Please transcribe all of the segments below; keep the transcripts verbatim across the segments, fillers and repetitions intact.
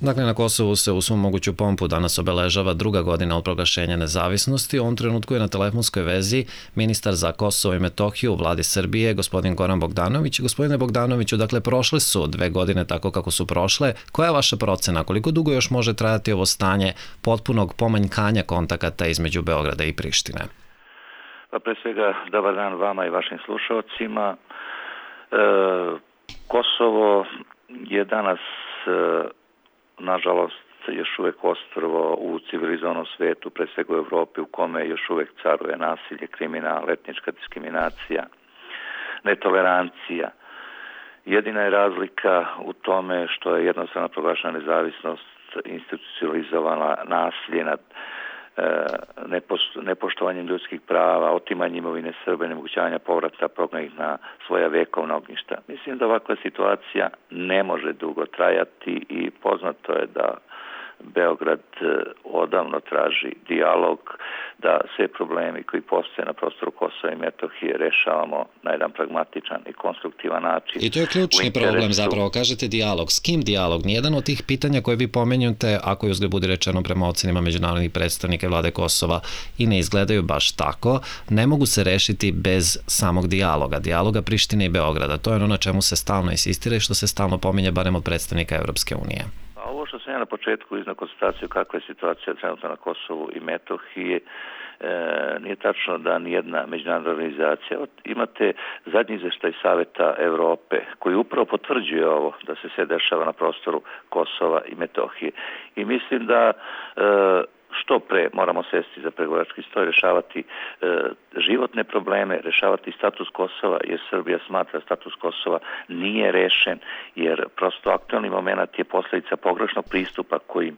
Dakle, na Kosovu se u svom moguću pompu danas obeležava druga godina od proglašenja nezavisnosti. U ovom trenutku je na telefonskoj vezi ministar za Kosovo i Metohiju u vladi Srbije, gospodin Goran Bogdanović. Gospodine Bogdanoviću, dakle, prošle su dve godine tako kako su prošle. Koja je vaša procena? Koliko dugo još može trajati ovo stanje potpunog pomanjkanja kontakata između Beograda i Prištine? Pa pre svega, dobar dan vama i vašim slušalcima. E, Kosovo je danas e, nažalost još uvek ostrvo u civilizovanom svetu, pre svega u Evropi, u kome još uvek caruje nasilje, kriminal, etnička diskriminacija, netolerancija. Jedina je razlika u tome što je jednostavno proglašena nezavisnost, institucionalizovala nasilje nad nepoštovanjem ljudskih prava, otimanjem imovine Srba, nemogućavanja povrata prognanih na svoja vekovna ognjišta. Mislim da ovakva situacija ne može dugo trajati i poznato je da Beograd odavno traži dijalog, da sve problemi koji postoje na prostoru Kosova i Metohije rešavamo na jedan pragmatičan i konstruktivan način. I to je ključni problem zapravo, kažete dijalog. S kim dijalog? Nijedan od tih pitanja koje vi pomenjate, ako je uzgled budi rečeno prema ocenima međunarodnih predstavnika vlade Kosova i ne izgledaju baš tako, ne mogu se rešiti bez samog dijaloga. Dijaloga Prištine i Beograda. To je ono na čemu se stalno insistira i što se stalno pominje barem od predstavnika Evropske unije. Ovo što sam ja na početku iznao konstataciju kakva je situacija trenutno na Kosovu i Metohiji, e, nije tačno da nijedna međunarodna organizacija. Imate zadnji izveštaj Saveta Evrope koji upravo potvrđuje ovo da se sve dešava na prostoru Kosova i Metohije. I mislim da e, što pre moramo sesti za pregovarački stoj, rešavati e, životne probleme, rešavati status Kosova, jer Srbija smatra status Kosova nije rešen, jer prosto aktualni moment je posljedica pogrešnog pristupa kojim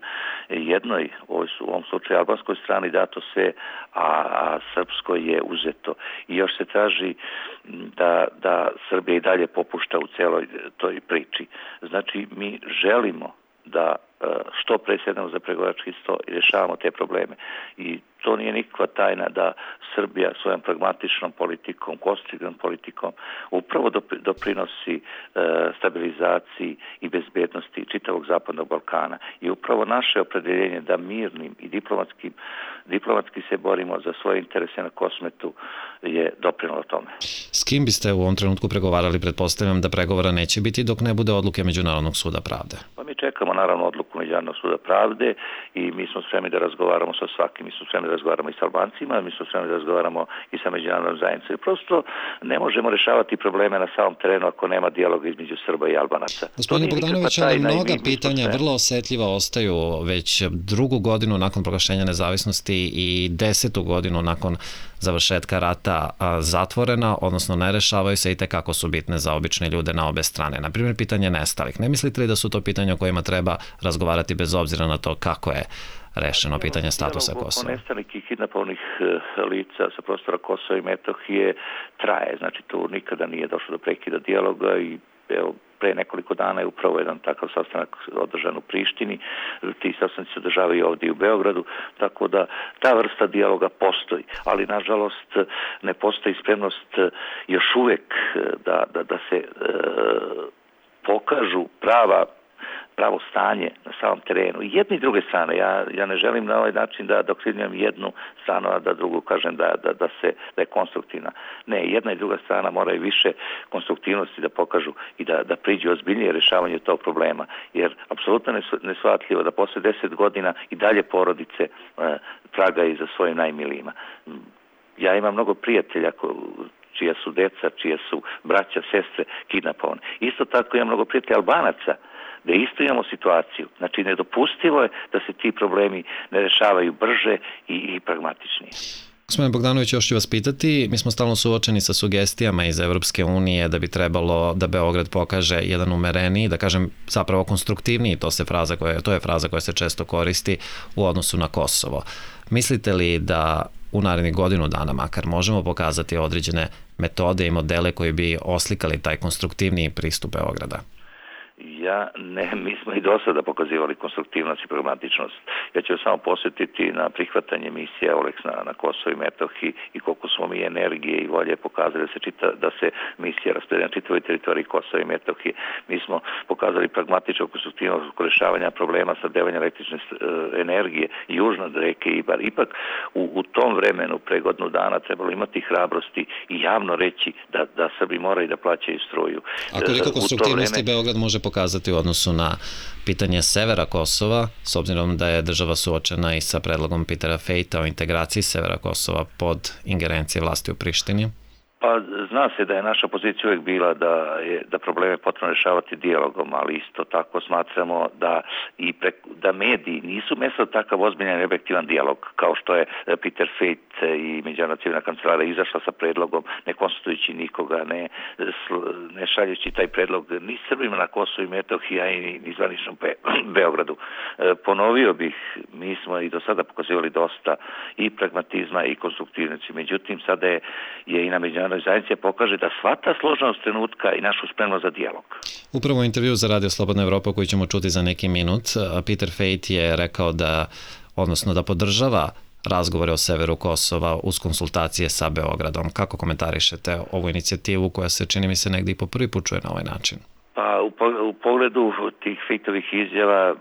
jednoj, u ovom slučaju albanskoj strani, dato sve, a, a srpskoj je uzeto. I još se traži da, da Srbija i dalje popušta u celoj toj priči. Znači, mi želimo da što pre sednemo za pregovarački sto i rešavamo te probleme. I to nije nikakva tajna da Srbija svojom pragmatičnom politikom, konstruktivnom politikom upravo doprinosi e, stabilizaciji i bezbednosti čitavog Zapadnog Balkana. I upravo naše opredeljenje da mirnim i diplomatskim, diplomatski se borimo za svoje interese na Kosmetu je doprinalo tome. S kim biste u ovom trenutku pregovarali? Pretpostavljam da pregovora neće biti dok ne bude odluke Međunarodnog suda pravde. Pa mi čekamo naravno odluku Međunarodnog suda pravde i mi smo spremni da razgovaramo sa svakim. Mi smo spremni da razgovaramo i sa Albancima, mi smo spremni da razgovaramo i sa međunarodnom zajednicom. Prosto ne možemo rešavati probleme na samom terenu ako nema dijaloga između Srba i Albanaca. Gospodine Bogdanović, ali mnoga pitanja vrlo osetljiva ostaju već drugu godinu nakon proglašenja nezavisnosti i desetu godinu nakon završetka rata zatvorena, odnosno ne rešavaju se i tekako su bitne za obične ljude na obe strane. Na primjer, pitanje nestalih. Ne mislite li da su to pitanja o kojima treba razgovarati bez obzira na to kako je rešeno pitanje statusa Kosova? Oko nestalih i kidnapovanih lica sa prostora Kosova i Metohije traje. Znači, tu nikada nije došlo do prekida dijaloga i evo, pre nekoliko dana je upravo jedan takav sastanak održan u Prištini, ti sastanci se održavaju i ovdje u Beogradu, tako da ta vrsta dijaloga postoji, ali nažalost ne postoji spremnost još uvek da, da, da se e, pokažu prava pravo stanje na samom terenu. I jedne i druge strane. Ja, ja ne želim na ovaj način da dokrivljujem jednu stranu, a da drugu kažem da, da, da, se, da je konstruktivna. Ne, jedna i druga strana moraju više konstruktivnosti da pokažu i da, da priđu ozbiljnije rješavanju tog problema. Jer apsolutno nesvatljivo da posle deset godina i dalje porodice e, tragaju za svojim najmilijima. Ja imam mnogo prijatelja ko, čija su deca, čija su braća, sestre kidnapovane. Isto tako imam mnogo prijatelja Albanaca da isto imamo situaciju. Znači, nedopustivo je da se ti problemi ne rešavaju brže i, i pragmatičnije. Gospodine Bogdanović, još ću vas pitati, mi smo stalno suočeni sa sugestijama iz Evropske unije da bi trebalo da Beograd pokaže jedan umereniji, da kažem zapravo konstruktivniji, to, se fraza koja, to je fraza koja se često koristi u odnosu na Kosovo. Mislite li da u narednih godinu dana makar možemo pokazati određene metode i modele koji bi oslikali taj konstruktivniji pristup Beograda? Ja, ne, mi smo i do sada pokazivali konstruktivnost i pragmatičnost. Ja ću samo posjetiti na prihvatanje misije Eulex na, na Kosovo i Metohiji i koliko smo mi energije i volje pokazali da se, čita, da se misija rasporedi na čitavoj teritoriji Kosova i Metohije. Mi smo pokazali pragmatičnu konstruktivnost oko rješavanja problema snabdevanja električne energije južno od reke Ibar. Ipak u, u tom vremenu, pre godinu dana, trebalo imati hrabrosti i javno reći da, da Srbi moraju da plaćaju struju. A koliko konstruktivnosti vreme... Beograd može pokazati u odnosu na pitanje severa Kosova, s obzirom da je država suočena i sa predlogom Petera Fejta o integraciji severa Kosova pod ingerencije vlasti u Prištini? Pa zna se da je naša pozicija uvijek bila da je da probleme potrebno rješavati dijalogom, ali isto tako smatramo da i pre, da mediji nisu mesto takav ozbiljan i objektivan dijalog, kao što je Peter Fejt i Međunarodna civilna kancelarija izašla sa predlogom, ne konsultujući nikoga, ne, ne šaljući taj predlog ni Srbima na Kosovu i Metohiji, a i ni zvaničnom Be, Beogradu. Ponovio bih, mi smo i do sada pokazivali dosta i pragmatizma i konstruktivnosti, međutim sada je, je i na međunarodnoj zajednici pokaže da shvata složenost trenutka i našu spremnost za dijalog. Upravo u intervju za Radio Slobodna Evropa koji ćemo čuti za neki minut, Peter Fejt je rekao da, odnosno da podržava razgovore o severu Kosova uz konsultacije sa Beogradom. Kako komentarišete ovu inicijativu koja se, čini mi se, negdje i po prvi put čuje na ovaj način? Pa u, u pogledu tih Fejtovih izjava,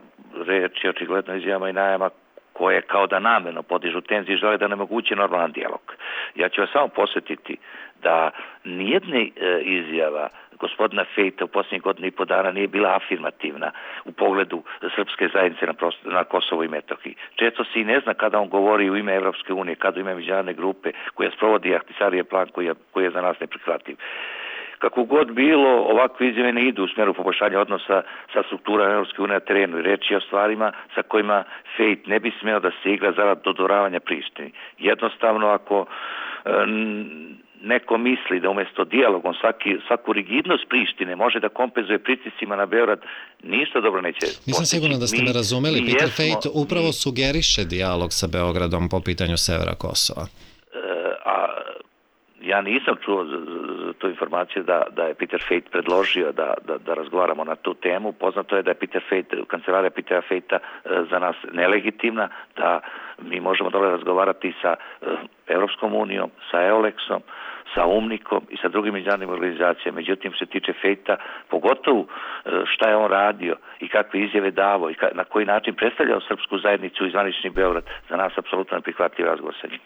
reč je očigledno izjavama i najama koje kao da namjerno podižu tenzije i žele da nemoguće normalan dijalog. Ja ću vas samo posjetiti da nijedne e, izjava gospodina Fejta u posljednjih godina i po dana nije bila afirmativna u pogledu srpske zajednice na, prosto, na Kosovo i Metohiji. Često se i ne zna kada on govori u ime Evropske unije, kada u ime međunarodne grupe koja sprovodi Ahtisarijev plan koji je, koji je za nas neprihvatljiv. Kako god bilo, ovakve izjave ne idu u smjeru poboljšanja odnosa sa strukturama Europske unije na terenu i reći o stvarima sa kojima Fejt ne bi smeo da se igra zarad dodoravanja Prištini. Jednostavno, ako um, neko misli da umjesto dijalogom svaki, svaku rigidnost Prištine može da kompenzuje pritiscima na Beograd, ništa dobro neće postići. Nisam sigurno da ste me razumeli. Peter jesmo, Fejt upravo mi, sugeriše dijalog sa Beogradom po pitanju severa Kosova. A ja nisam čuo tu informaciju da, da je Peter Fejt predložio da, da, da razgovaramo na tu temu. Poznato je da je Peter Fejt, kancelarija Petera Fejta za nas nelegitimna, da mi možemo dobro razgovarati sa Europskom unijom, sa Eulexom, sa Umnikom i sa drugim međunarodnim organizacijama. Međutim, što se tiče Fejta, pogotovo šta je on radio i kakve izjave davo i na koji način predstavljao srpsku zajednicu i zvanični Beograd, za nas apsolutno neprihvatljiv razgovor sa njim.